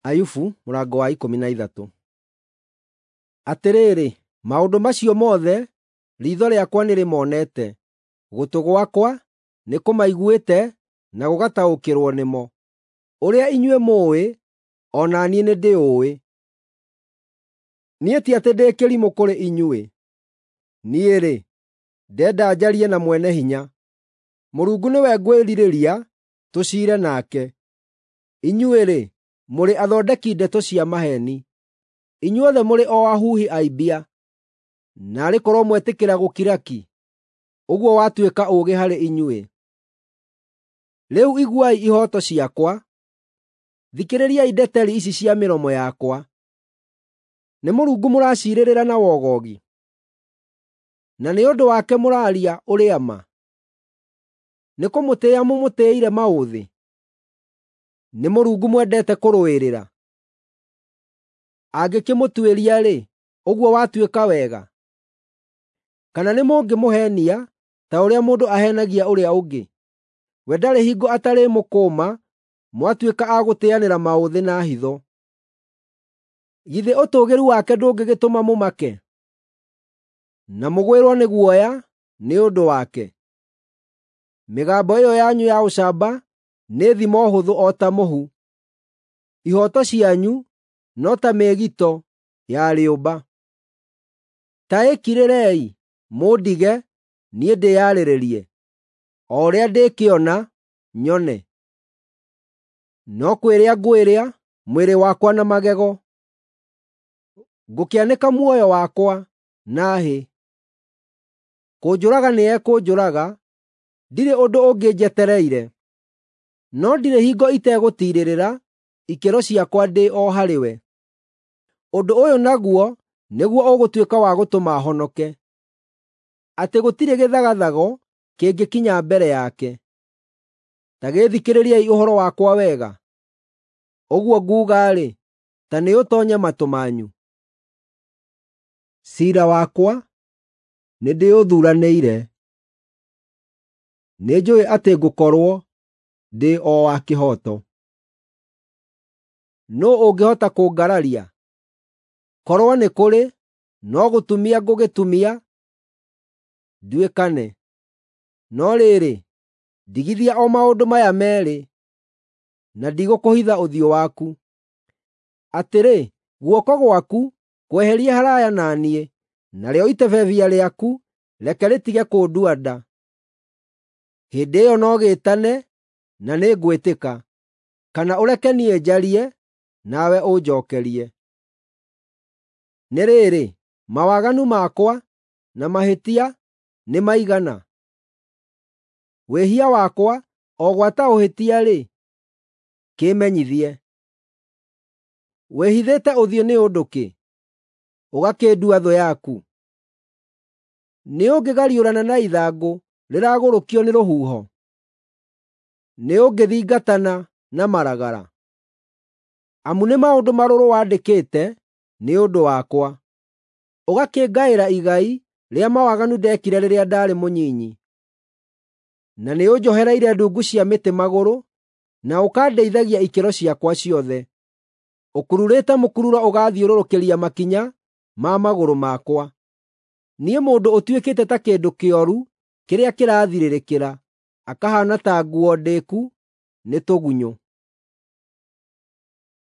Ayubu mũrango wa 13. Atĩrĩrĩ, maũndũ macio mothe riitho rĩakwa nĩrĩmonete, gũtũ gwakwa nĩkũmaiguĩte na gũgataũkĩrwo nĩmo. Ũrĩa inyuĩ mũũĩ, o na niĩ nĩndĩũĩ. Niĩ ti atĩ ndĩ kĩrimũ kũrĩ inyuĩ. Niĩ-rĩ, ndenda njarie na Mwene-Hinya. Mũrungu nĩwe ngwĩrirĩria tũciire nake. Inyuĩ-rĩ, mũrĩ athondeki ndeto cia maheeni. Inyuothe mũrĩ o ahuhi a mbia. Naarĩ korwo mwetĩkĩra gũkira ki! Ũguo watuĩka ũũgĩ harĩ inyuĩ. Rĩu iguai ihooto ciakwa; thikĩrĩriai ndeteri ici cia mĩromo yakwa. Nĩ Mũrungu mũraciirĩrĩra na wogogi? Na nĩ ũndũ wake mũraaria ũrĩa ma? Nĩkũmũtĩĩa mũmũtĩĩire maũthĩ? Nĩ Mũrungu mwendete kũrũĩrĩra? Angĩkĩmũtuĩria-rĩ, ũguo watuĩka wega? Kana nĩmũngĩmũheenia ta ũrĩa mũndũ aheenagia ũrĩa ũngĩ? We ndarĩ hingo atarĩmũkũũma mwatuĩka a gũtĩĩanĩra maũthĩ na hitho. Githĩ ũtũũgĩru wake ndũngĩgĩtũma mũmake, na mũgwĩrwo nĩ guoya nĩ ũndũ wake? Mĩgambo ĩyo yanyu ya ũcamba nĩ thimo hũthũ o ta mũhu; ihooto cianyu no ta mĩĩgito ya rĩũmba. Ta ĩkirĩrei, mũndige niĩ ndĩyarĩrĩrie, o ũrĩa ndĩkĩona, nyone. No kwĩrĩa ngwĩrĩa mwĩrĩ wakwa na magego, ngũkĩanĩka muoyo wakwa na hĩ. Kũnjũraga nĩekũnjũraga, ndirĩ ũndũ ũngĩ njetereire. No ndirĩ hingo itegũtiirĩrĩra ikĩro ciakwa ndĩ o harĩ we. Ũndũ ũyũ naguo nĩguo ũgũtuĩka wa gũtũma honoke, atĩ gũtirĩ gĩthagathago kĩngĩkinya mbere yake. Ta gĩĩthikĩrĩriei ũhoro wakwa wega; ũguo nguuga-rĩ, ta nĩũtoonye matũ manyu. Ciira wakwa nĩndĩũthuuranĩire; nĩnjũũĩ atĩ ngũkorwo ndĩ o wa kĩhooto. Nũũ ũngĩhota kũngararia? Korwo nĩ kũrĩ, no gũtumia ngũgĩtumia nduĩkane. No rĩrĩ, ndigithia o maũndũ maya meerĩ, na ndigũkũhitha ũthiũ waku: Atĩrĩ, guoko gwaku kweherie haraaya na niĩ, narĩo itebebia rĩaku reke rĩtige kũndua nda. Hĩndĩ ĩyo no gĩĩtane, na nĩngwĩtĩka, kana ũreke niĩ njarie, nawe ũnjookerie. Nĩ rĩrĩ, mawaganu makwa na mahĩtia nĩ maigana? Wĩhia wakwa, o gwata ũhĩtia-rĩ, kĩĩmenyithie. Wĩhithĩte ũthiũ nĩ ũndũ kĩ, ũgakĩndua thũ yaku? Nĩũngĩgariũrana na ithangũ rĩragũrũkio nĩ rũhuho? Nĩũngĩthingatana na maragara? Amu nĩ maũndũ marũrũ wandĩkĩte nĩ ũndũ wakwa, ũgakĩngaĩra igai rĩa mawaganu ndeekire rĩrĩa ndaarĩ mũnyinyi. Na nĩũnjohereire ndungu cia mĩtĩ magũrũ, na ũkandeithagia ikĩro ciakwa ciothe. Ũkururĩte mũkururo ũgaathiũrũrũkĩria makinya ma magũrũ makwa. Niĩ mũndũ ũtuĩkĩte ta kĩndũ kĩoru kĩrĩa kĩrathirĩrĩkĩra, akahaana ta nguo ndĩku nĩ tũgunyũ.